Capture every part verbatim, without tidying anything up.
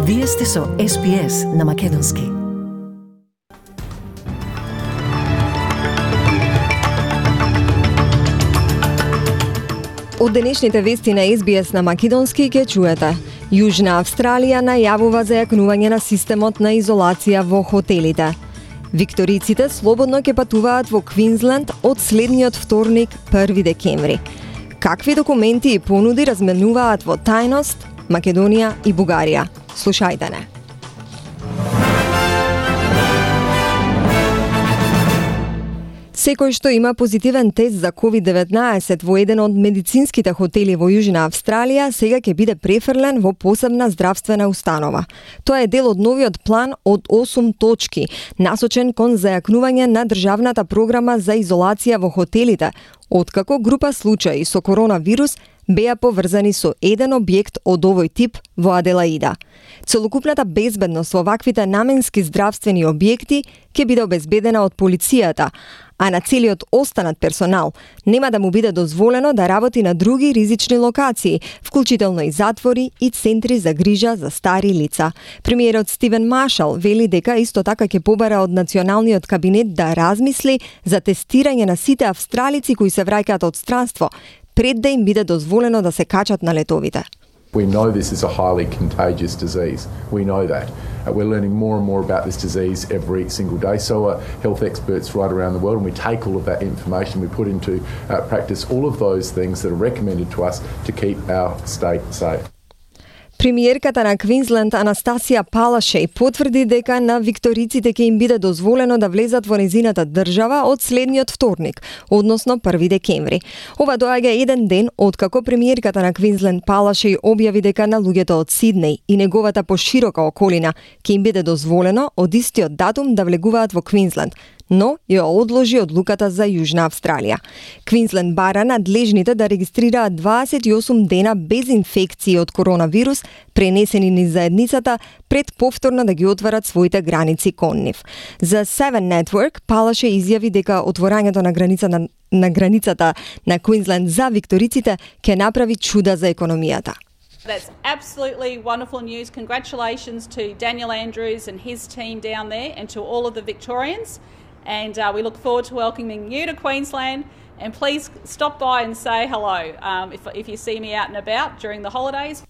Вие сте со Ес Би Ес на Македонски. Од денешните вести на Ес Би Ес на Македонски ќе чуете. Јужна Австралија најавува зајакнување на системот на изолација во хотелите. Викториците слободно ќе патуваат во Квинсленд од следниот вторник, први декември. Какви документи и понуди разменуваат во тајност Македонија и Бугарија? Слушајте не. Секој што има позитивен тест за ковид деветнаесет во еден од медицинските хотели во Јужна Австралија, сега ќе биде префрлен во посебна здравствена установа. Тоа е дел од новиот план од осум точки, насочен кон зајакнување на државната програма за изолација во хотелите, откако група случаи со коронавирус беа поврзани со еден објект од овој тип во Аделаида. Целокупната безбедност во ваквите наменски здравствени објекти ќе биде обезбедена од полицијата, а на целиот останат персонал нема да му биде дозволено да работи на други ризични локации, вклучително и затвори и центри за грижа за стари лица. Премиерот Стивен Маршал вели дека исто така ќе побара од националниот кабинет да размисли за тестирање на сите австралици кои се враќаат од странство, пред да им биде дозволено да се качат на летовите. We know this is a highly contagious disease. We know that. Uh, we're learning more and more about this disease every single day. So are health experts right around the world, and we take all of that information, we put into uh, practice all of those things that are recommended to us to keep our state safe. Премиерката на Квинсленд Анастасија Палашеј потврди дека на викториците ќе им биде дозволено да влезат во незината држава од следниот вторник, односно први декември. Ова доаѓа еден ден откако премиерката на Квинсленд Палашеј објави дека на луѓето од Сиднеј и неговата поширока околина ќе им биде дозволено од истиот датум да влегуваат во Квинсленд, но ја одложи одлуката за Јужна Австралија. Квинсленд бара надлежните да регистрираат дваесет и осум дена без инфекции од коронавирус пренесени низ заедницата пред повторно да ги отварат своите граници кон нив. За Seven Network Палаше изјави дека отворањето на граница на, на границата на Квинсленд за викториците ќе направи чуда за економијата. That's absolutely wonderful news. Congratulations to Daniel Andrews and his team down there and to all of the Victorians. And uh, we look forward to welcoming you to Queensland. And please stop by and say hello um, if, if you see me out and about during the holidays.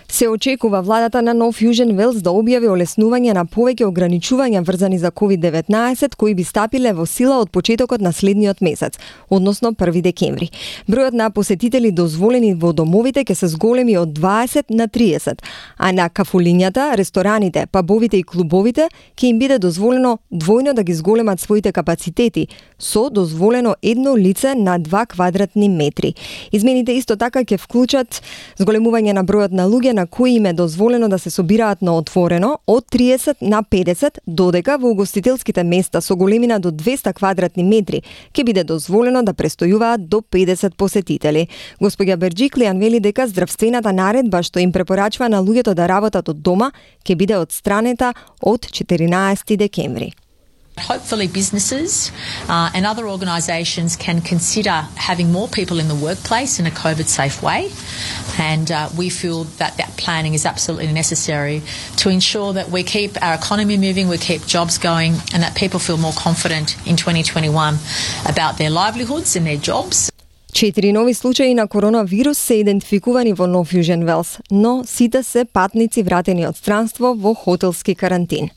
Се очекува владата на Нов Јужен Велс да објави олеснување на повеќе ограничувања врзани за ковид деветнаесет кои би стапиле во сила од почетокот на следниот месец, односно први декември. Бројот на посетители дозволени во домовите ќе се зголеми од дваесет на триесет, а на кафулињата, рестораните, пабовите и клубовите ќе им биде дозволено двојно да ги зголемат своите капацитети, со дозволено едно лице на два квадратни метри. Измените исто така ќе вклучат зголемување на бројот на луѓе на кои им е дозволено да се собираат на отворено од триесет на педесет, додека во угостителските места со големина до двеста квадратни метри ќе биде дозволено да престојуваат до педесет посетители. Господја Берџиклијан вели дека здравствената наредба што им препорачува на луѓето да работат од дома ќе биде отстранета од четиринаесети декември. Hopefully businesses uh, and other organisations can consider having more people in the workplace in a COVID-safe way, and uh, we feel that that planning is absolutely necessary to ensure that we keep our economy moving, we keep jobs going, and that people feel more confident in twenty twenty-one about their livelihoods and their jobs. Четири нови случаи на коронавирус се идентификувани во Нов Јужен Велс, но сите се патници вратени од странство во хотелски карантин.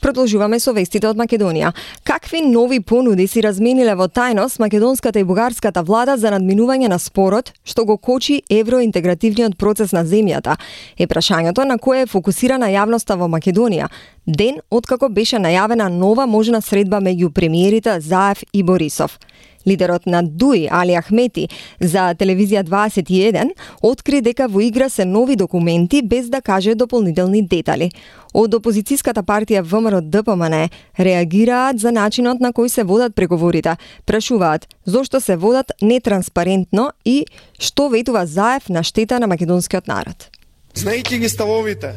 Продолжуваме со вестите од Македонија. Какви нови понуди си размениле во тајност македонската и бугарската влада за надминување на спорот што го кочи евроинтегративниот процес на земјата? Е прашањето на кое е фокусирана јавноста во Македонија, ден откако беше најавена нова можна средба меѓу премиерите Заев и Борисов. Лидерот на ДУИ, Али Ахмети, за телевизија дваесет и еден, откри дека во игра се нови документи без да каже дополнителни детали. Од опозицијската партија ВМРО-ДПМН реагираат за начинот на кој се водат преговорите, прашуваат зошто се водат нетранспарентно и што ветува Заев на штета на македонскиот народ. Знаејќи ги ставовите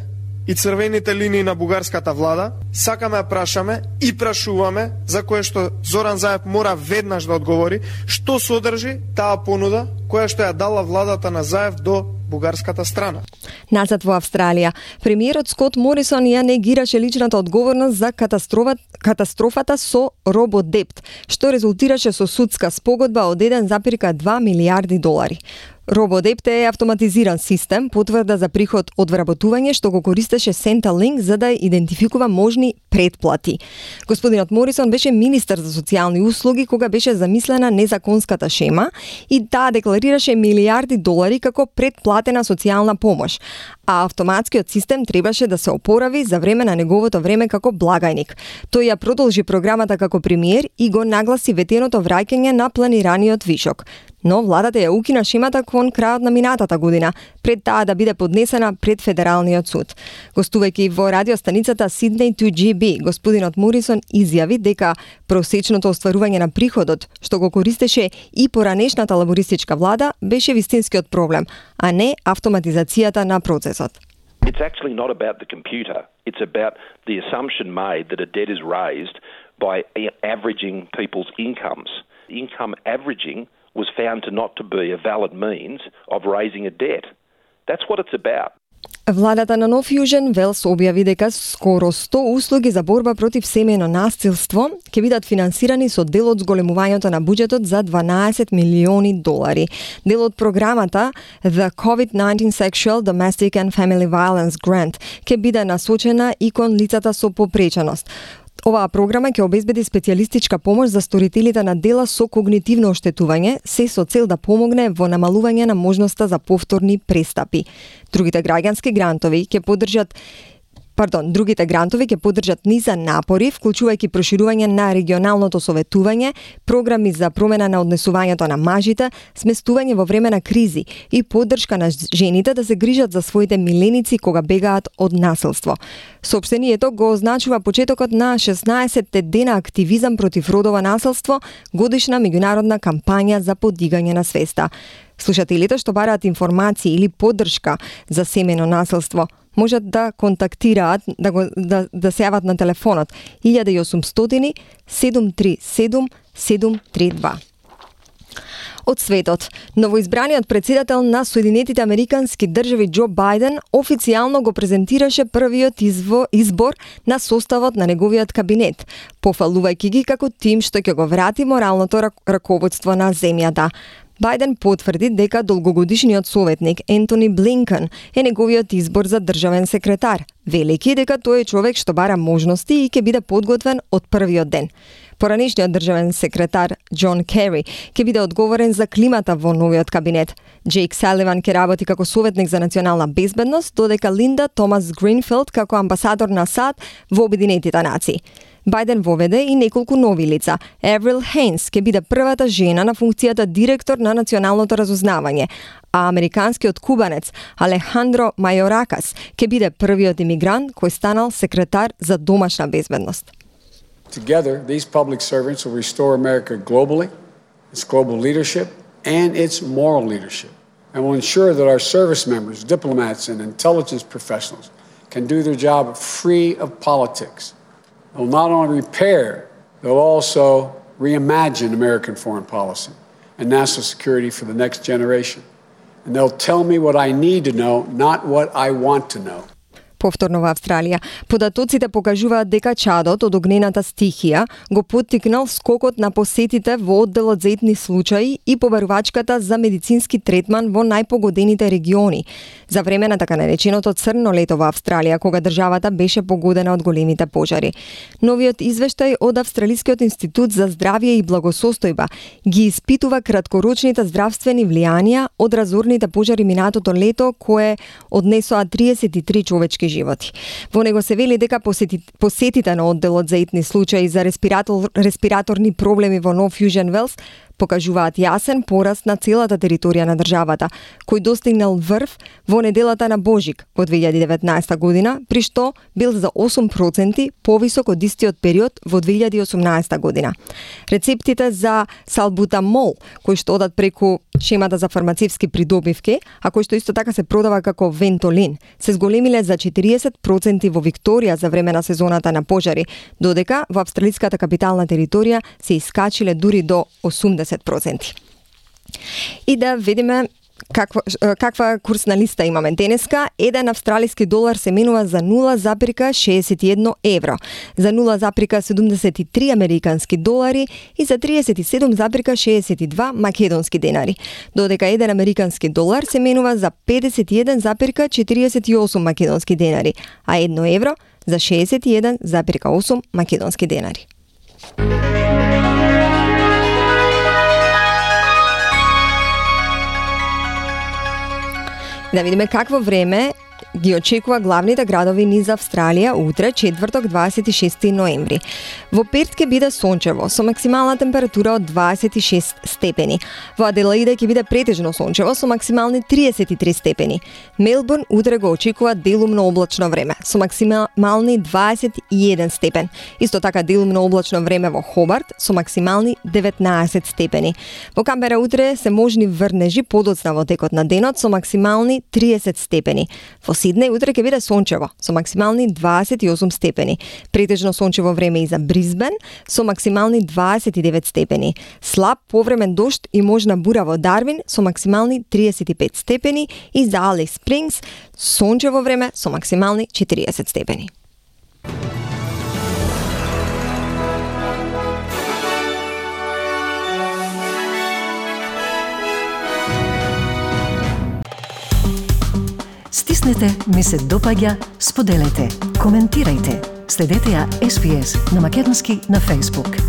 и црвените линии на бугарската влада, сакаме да прашаме и прашуваме, за кое што Зоран Заев мора веднаш да одговори, што содржи таа понуда која што ја дала владата на Заев до бугарската страна. Назад во Австралија, премиерот Скот Морисон ја негираше личната одговорност за катастрофата, катастрофата со Рободепт, што резултираше со судска спогодба од еден запирка два милијарди долари. Рободепт е автоматизиран систем, потврда за приход од вработување што го користеше Centrelink за да идентификува можни предплати. Господинот Морисон беше министер за социјални услуги кога беше замислена незаконската шема и таа декларираше милијарди долари како предплатена социјална помош, а автоматскиот систем требаше да се опорави за време на неговото време како благајник. Тој ја продолжи програмата како премиер и го нагласи ветеното враќање на планираниот вишок. Но владата ја укина шемата кон крајот на минатата година, пред таа да биде поднесена пред Федералниот суд. Гостувајќи во радиостаницата Sydney two G B, господинот Морисон изјави дека просечното остварување на приходот, што го користеше и поранешната лабористичка влада, беше вистинскиот проблем, а не автоматизацијата на процесот. It's actually not about the computer. It's about the assumption made that a debt is raised by averaging people's incomes. Income averaging was found to not to be a valid means of raising a debt. That's what it's about. Владата на Нов Јужен Велс објави дека скоро сто услуги за борба против семејно насилство ќе бидат финансирани со дел од зголемувањето на буџетот за дванаесет милиони долари. Дел од програмата The COVID nineteen Sexual, Domestic and Family Violence Grant ќе биде насочена и кон лицата со попреченост. Оваа програма ќе обезбеди специјалистичка помош за сторителите на дела со когнитивно оштетување, се со цел да помогне во намалување на можноста за повторни престапи. Другите граѓански грантови ќе поддржат Пардон, другите грантови ќе поддржат низа напори, вклучувајќи проширување на регионалното советување, програми за промена на однесувањето на мажите, сместување во време на кризи и поддршка на жените да се грижат за своите миленици кога бегаат од насилство. Соопштението го означува почетокот на шеснаесетте дена активизам против родово насилство, годишна меѓународна кампања за подигање на свеста. Слушателите што бараат информации или поддршка за семејно насилство можат да контактираат, да, го, да, да се јават на телефонот едно и осумстотини седум три седум седум три два. Од светот, новоизбраниот председател на Соединетите Американски држави Џо Бајден официјално го презентираше првиот изво, избор на составот на неговиот кабинет, пофалувајќи ги како тим што ќе го врати моралното раководство на земјата. Бајден потврди дека долгогодишниот советник Ентони Блинкен е неговиот избор за државен секретар, велики дека тој е човек што бара можности и ќе биде подготвен од првиот ден. Поранешниот државен секретар Џон Кери ќе биде одговорен за климата во новиот кабинет. Джейк Саливан ќе работи како советник за национална безбедност, додека Линда Томас Гринфилд како амбасадор на САД во Обединетите нации. Бајден воведе и неколку нови лица. Еврил Хейнс ќе биде првата жена на функцијата директор на националното разузнавање, а американскиот кубанец Алехандро Мајоракас ќе биде првиот имигрант кој станал секретар за домашна безбедност. Together, these public servants will restore America globally, its global leadership, and its moral leadership, and will ensure that our service members, diplomats, and intelligence professionals can do their job free of politics. They'll not only repair, they'll also reimagine American foreign policy and national security for the next generation. And they'll tell me what I need to know, not what I want to know. Повторно во Австралија, податоците покажуваат дека чадот од огнената стихија го поттикнал скокот на посетите во одделот за етни случаи и побарувачката за медицински третман во најпогодените региони за време на така нареченото црно лето во Австралија, кога државата беше погодена од големите пожари. Новиот извештај од Австралискиот институт за здравје и благосостојба ги испитува краткорочните здравствени влијанија од разорните пожари минатото лето, кое однесоа триесет и три човечки животи. Во него се вели дека посети, посетите на одделот за етни случаи за респиратор, респираторни проблеми во Нов Јужен Велс покажуваат јасен пораст на целата територија на државата, кој достигнал врв во неделата на Божик во две илјади и деветнаесета година, при што бил за осум проценти повисок од истиот период во две илјади и осумнаесета година. Рецептите за салбутамол, кои што одат преку шемата за фармацевски придобивки, а кој што исто така се продава како вентолин, се зголемиле за четириесет проценти во Викторија за време на сезоната на пожари, додека во австралиската капитална територија се искачиле дури до осумдесет проценти. И да видиме Каква, каква курсна листа имаме денеска? Еден австралиски долар се менува за нула запирка шеесет и едно евро, за нула запирка седумдесет и три американски долари и за триесет и седум запирка шеесет и два македонски денари. Додека еден американски долар се менува за педесет и еден запирка четириесет и осум македонски денари, а едно евро за шеесет и еден запирка осум македонски денари. Да видиме какво време ги очекува главните градови низ Австралија утре, четврток, дваесет и шести ноември. Во Перт ќе биде сончево, со максимална температура од дваесет и шест степени. Во Аделаида ќе биде претежно сончево, со максимални триесет и три степени. Мелбурн утре го очекува делумно облачно време, со максимални дваесет и еден степен. Исто така делумно облачно време во Хобарт, со максимални деветнаесет степени. Во Камбера утре се можни врнежи подоцна во текот на денот, со максимални триесет степени. Во Сиднеј утре ќе биде сончево, со максимални дваесет и осум степени. Претежно сончево време и за Брисбен, со максимални дваесет и девет степени. Слаб повремен дожд и можна бура во Дарвин, со максимални триесет и пет степени. И за Алис Спрингс, сончево време, со максимални четириесет степени. Стиснете ми се допаѓа, споделете, коментирајте. Следете ја Ес Би Ес на македонски на Facebook.